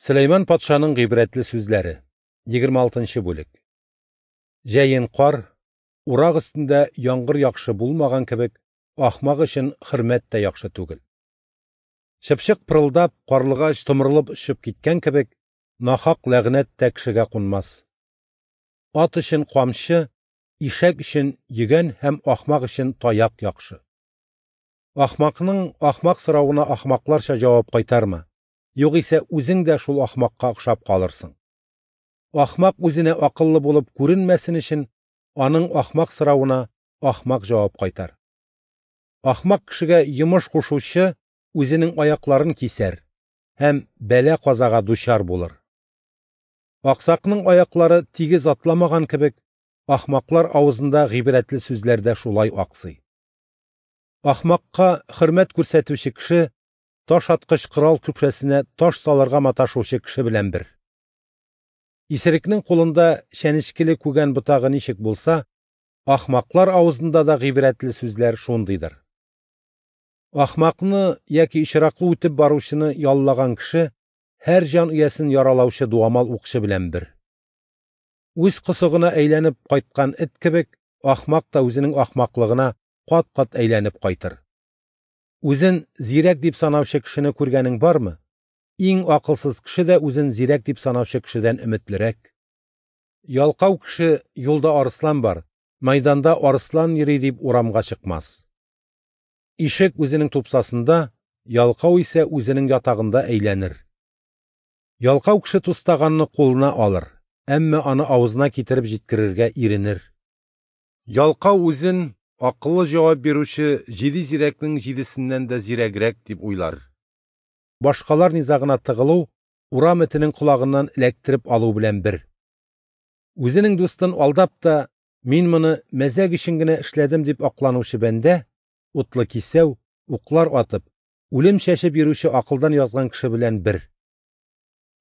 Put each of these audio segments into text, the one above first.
Сөләйман патшаның гыйбрәтле сүзләре. 26 нчы бүлек. Җәен кар, урак өстендә яңгыр яхшы булмаган кебек, ахмак өчен хөрмәт тә яхшы түгел. Чыпчык пырылдап, карлыгач томырылып очып киткән кебек, нахак ләгънәт тә кешегә кунмас. Ат өчен камчы, ишәк өчен йөгән һәм ахмак өчен таяк яхшы. Ахмакның ахмак соравына ахмакларча җавап кайтарма. Югыйсә үзең дә шул ахмакка охшап калырсың. Ахмак үзенә акыллы булып күренмәсен өчен, аның ахмак соравына ахмак җавап кайтар. Ахмак кешегә йомыш кушучы үзенең аякларын кисәр һәм бәла-казага дучар булыр. Аксакның аяклары тигез атламаган кебек, ахмаклар авызында гыйбрәтле сүзләр дә шулай аксый. Ахмакка хөрмәт күрсәтүче кеше таш аткыч корал көпшәсенә таш салырга маташучы кеше белән бер. Исерекнең кулында чәнечкеле күгән ботагы ничек булса, ахмаклар авызында да гыйбрәтле сүзләр шундыйдыр. Ахмакны яки очраклы үтеп баручыны яллаган кеше һәр җан иясен яралаучы дуамал укчы белән бер. Үз косыгына әйләнеп кайткан эт кебек, ахмак та үзенең ахмаклыгына кат-кат әйләнеп кайтыр. Үзен зирәк дип санаучы кешене күргәнең бармы? Иң акылсыз кеше дә үзен зирәк дип санаучы кешедән өметлерәк. Ялкау кеше юлда арыслан бар, майданда арыслан йөри дип урамга чыкмас. Ишек үзенең тупсасында, ялкау исә үзенең ятагында әйләнер. Ялкау кеше тустаганны кулына алыр, әмма аны авызына китереп җиткерергә иренер. Ялкау үзен акыллы җавап бирүче җиде зирәкнең җидесеннән дә зирәгрәк дип уйлар. Башкалар низагына тыгылу урам этенең колагыннан эләктереп алу белән бер. Үзенең дустын алдап та, мин моны мәзәк өчен генә эшләдем дип акланучы бәндә, утлы кисәү, уклар атып, үлем чәчеп йөрүче акылдан язган кеше белән бер.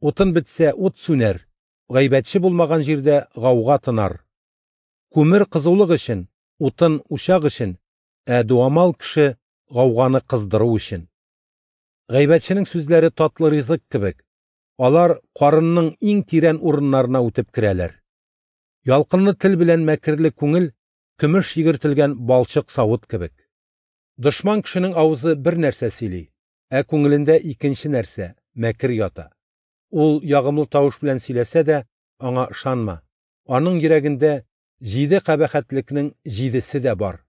Утын бетсә, ут сүнәр, гайбәтче булмаган җирдә гауга тынар. Күмер кызулык өчен, утын учак өчен, ә дуамал кеше гауганы кыздыру өчен. Гайбәтченең сүзләре татлы ризык кебек, алар карынның иң тирән урыннарына үтеп керәләр. Ялкынлы тел белән мәкерле күңел көмеш йөгертелгән балчык савыт кебек. Дошман кешенең авызы бер нәрсә сөйли, ә күңелендә икенче нәрсә, мәкер ята. Ул ягымлы тавыш белән сөйләсә дә, аңа ышанма. Аның йөрәгендә җиде кабахәтлекнең җидесе дә бар.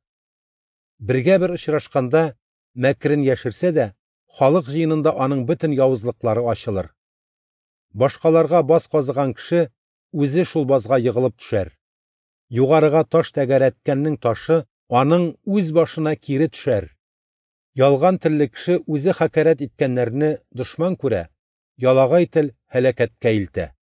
Бергә бер очрашканда мәкерен яшерсә дә, халык җыенында аның бөтен явызлыклары ачылыр. Башкаларга баз казыган кеше үзе шул базга егылып төшәр. Югарыга таш тәгәрәткәннең ташы аның үз башына кире төшәр. Ялган телле кеше үзе хакәрәт иткәннәрне дошман күрә, ялагай тел һәлакәткә илтә.